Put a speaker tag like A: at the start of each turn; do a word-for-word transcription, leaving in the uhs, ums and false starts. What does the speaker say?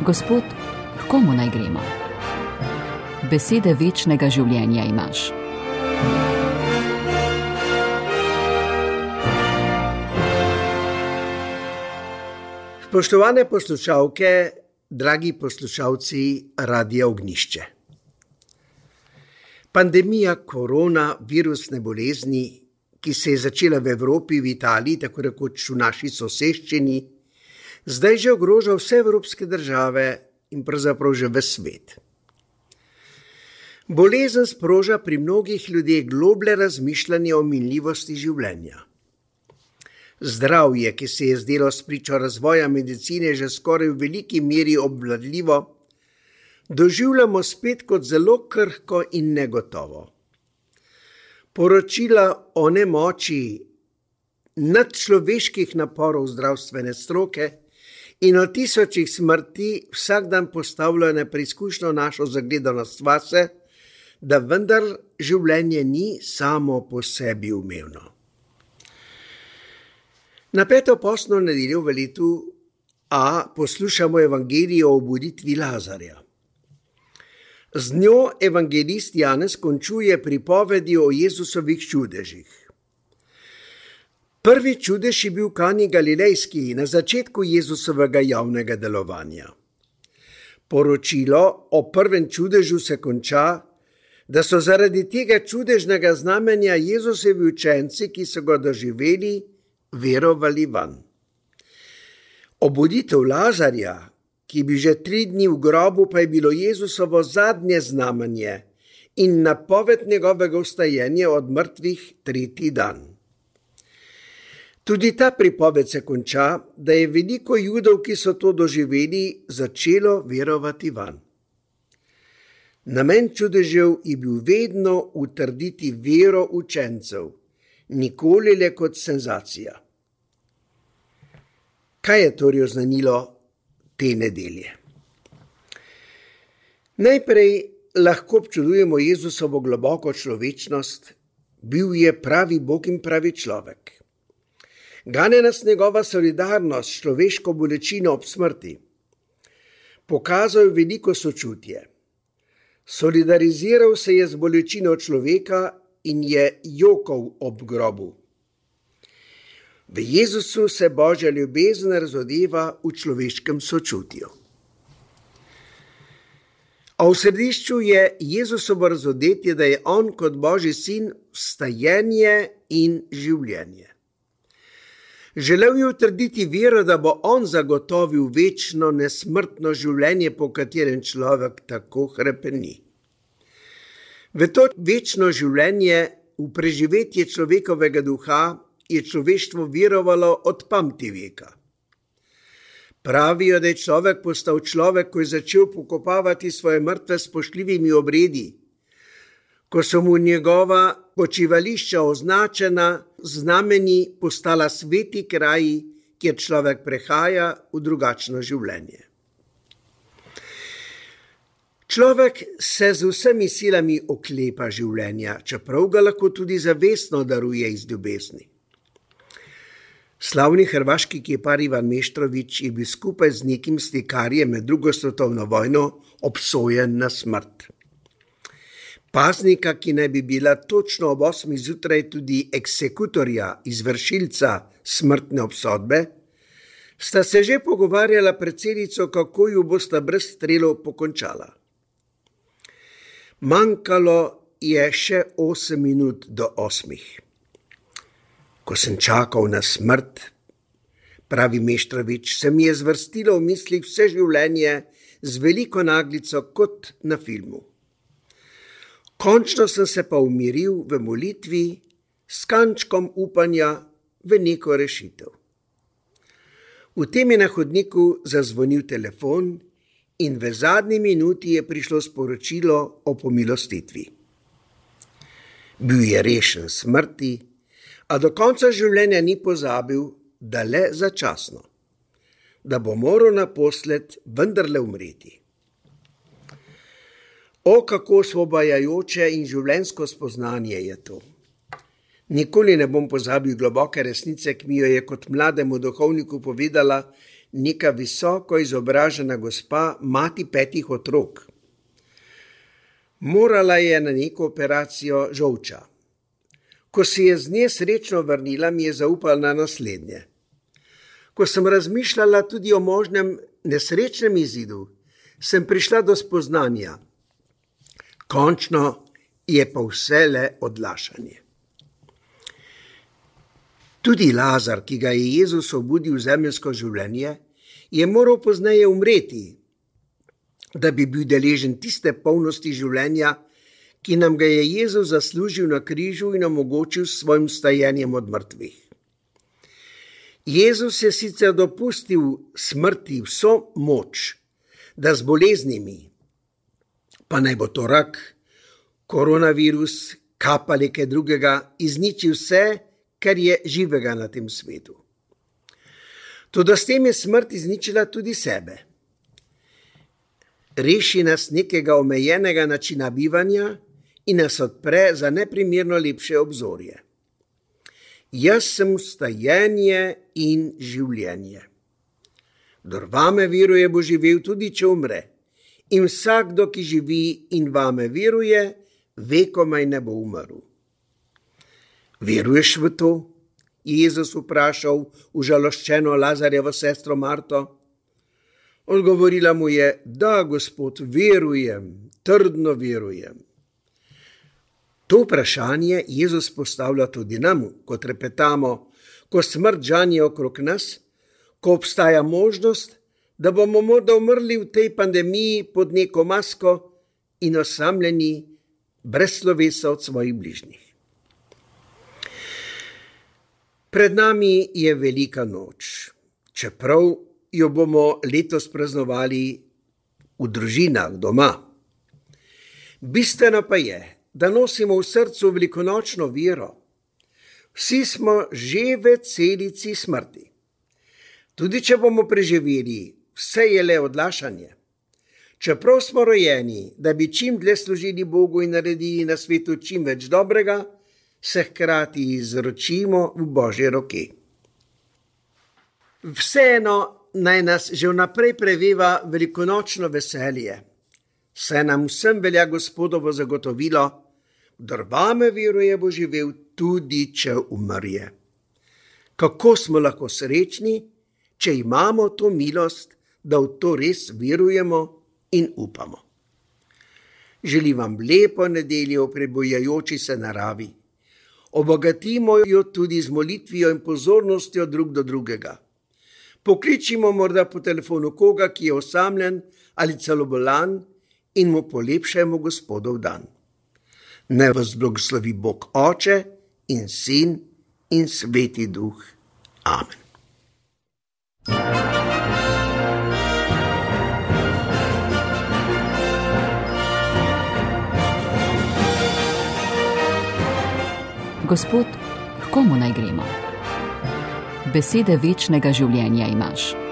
A: Gospod, k komu naj gremo? Besede večnega življenja imaš.
B: Spoštovane poslušalke, dragi poslušalci Radia Ognjišče. Pandemija koronavirusne bolezni, ki se je začela v Evropi, v Italiji, tako rekoč v naši soseščini, zdaj že ogroža vse evropske države in pravzaprav že ves svet. Bolezen sproža pri mnogih ljudeh globlje razmišljanje o minljivosti življenja. Zdravje, ki se je zdelo spričo razvoja medicine že skoraj v veliki meri obvladljivo, doživljamo spet kot zelo krhko in negotovo. Poročila o nemoči nadčloveških naporov zdravstvene stroke in o tisočih smrti vsak dan postavljajo na preizkušnjo našo zagledanost vase, da vendar življenje ni samo po sebi umevno. Na peto postno nedeljo v letu A poslušamo evangelijo o obuditvi Lazarja. Z njo evangelist Janez končuje pripovedi o Jezusovih čudežih. Prvi čudež je bil v Kani Galilejski na začetku Jezusovega javnega delovanja. Poročilo o prvem čudežu se konča, da so zaradi tega čudežnega znamenja Jezusovi učenci, ki so ga doživeli, verovali vanj. Obuditev Lazarja, ki bi že tri dni v grobu, pa je bilo Jezusovo zadnje znamenje in napoved njegovega vstajenja od mrtvih tretji dan. Tudi ta pripoved se konča, da je veliko Judov, ki so to doživeli, začelo verovati vanj. Namen čudežev je bil vedno utrditi vero učencev, nikoli le kot senzacija. Kaj je torej oznanilo te nedelje? Najprej lahko občudujemo Jezusovo globoko človečnost, bil je pravi Bog in pravi človek. Gane nas njegova solidarnost s človeško bolečino ob smrti. Pokazal je veliko sočutje. Solidariziral se je z bolečino človeka in je jokal ob grobu. V Jezusu se Božja ljubezen razodeva v človeškem sočutju. A v središču je Jezusovo razodetje, da je on kot Božji sin vstajenje in življenje. Želel je utrditi vero, da bo on zagotovil večno nesmrtno življenje, po katerem človek tako hrepeni. V to večno življenje, v preživetje človekovega duha, je človeštvo verovalo od pamti veka. Pravijo, da je človek postal človek, ko je začel pokopavati svoje mrtve s spoštljivimi obredi, ko so mu njegova počivališča označena, znameni postala sveti kraji, kjer človek prehaja v drugačno življenje. Človek se z vsemi silami oklepa življenja, čeprav ga lahko tudi zavestno daruje iz ljubezni. Slavni hrvaški kipar Ivan Meštrović je bil skupaj z nekim slikarjem med drugo svetovno vojno obsojen na smrt. Paznika, ki naj bi bila točno ob osmih zjutraj tudi eksekutorja, izvršilca smrtne obsodbe, sta se že pogovarjala pred celico, kako ju bosta brez strelov pokončala. Manjkalo je še osem minut do osmih. Ko sem čakal na smrt, pravi Meštrović, se mi je zvrstilo v mislih vse življenje z veliko naglico kot na filmu. Končno sem se pa umiril v molitvi s kančkom upanja v neko rešitev. V tem je na hodniku zazvonil telefon in v zadnji minuti je prišlo sporočilo o pomilostitvi. Bil je rešen smrti, a do konca življenja ni pozabil, da le začasno, da bo moral naposled vendarle umreti. O, kako osvobajajoče in življenjsko spoznanje je to. Nikoli ne bom pozabil globoke resnice, ki mi jo je kot mlademu duhovniku povedala neka visoko izobražena gospa, mati petih otrok. Morala je na neko operacijo žolča. Ko se je z nje srečno vrnila, mi je zaupala na naslednje. Ko sem razmišljala tudi o možnem nesrečnem izidu, sem prišla do spoznanja. Končno je pa vse le odlašanje. Tudi Lazar, ki ga je Jezus obudil v zemeljsko življenje, je moral pozneje umreti, da bi bil deležen tiste polnosti življenja, ki nam ga je Jezus zaslužil na križu in omogočil s svojim stajenjem od mrtvih. Jezus je sicer dopustil smrti vso moč, da z boleznimi, pa naj bo to rak, koronavirus, kap ali kaj drugega, izniči vse, kar je živega na tem svetu. Toda s tem je smrt izničila tudi sebe. Reši nas nekega omejenega načina bivanja in nas odpre za neprimerno lepše obzorje. Jaz sem vstajenje in življenje. Kdor vame veruje, bo živel tudi, če umre. In vsakdo, ki živi in vame veruje, vekomaj ne bo umrl. Veruješ v to? Je Jezus vprašal užaloščeno Lazarjevo sestro Marto. Odgovorila mu je, da, Gospod, verujem, trdno verujem. To vprašanje Jezus postavlja tudi nam, ko trepetamo, ko smrt žanje okrog nas, ko obstaja možnost, da bomo morda umrli v tej pandemiji pod neko masko in osamljeni, brez slovesa od svojih bližnjih. Pred nami je velika noč, čeprav jo bomo letos praznovali v družinah doma. Bistveno pa je, da nosimo v srcu velikonočno vero. Vsi smo že v celici smrti. Tudi če bomo preživeli, vse je le odlašanje. Čeprav smo rojeni, da bi čim dlje služili Bogu in naredili na svetu čim več dobrega, se hkrati izročimo v Božje roke. Vseeno naj nas že vnaprej preveva velikonočno veselje. Saj nam vsem velja Gospodovo zagotovilo, kdor vame veruje, bo živel tudi, če umrje. Kako smo lahko srečni, če imamo to milost, da v to res verujemo in upamo. Želim vam lepo nedeljo v prebujajoči se naravi. Obogatimo jo tudi z molitvijo in pozornostjo drug do drugega. Pokličimo morda po telefonu koga, ki je osamljen ali celo bolan, in mu polepšajmo Gospodov dan. Naj vas blagoslovi Bog Oče in Sin in Sveti Duh. Amen.
A: Gospod, h komu naj gremo? Besede večnega življenja imaš.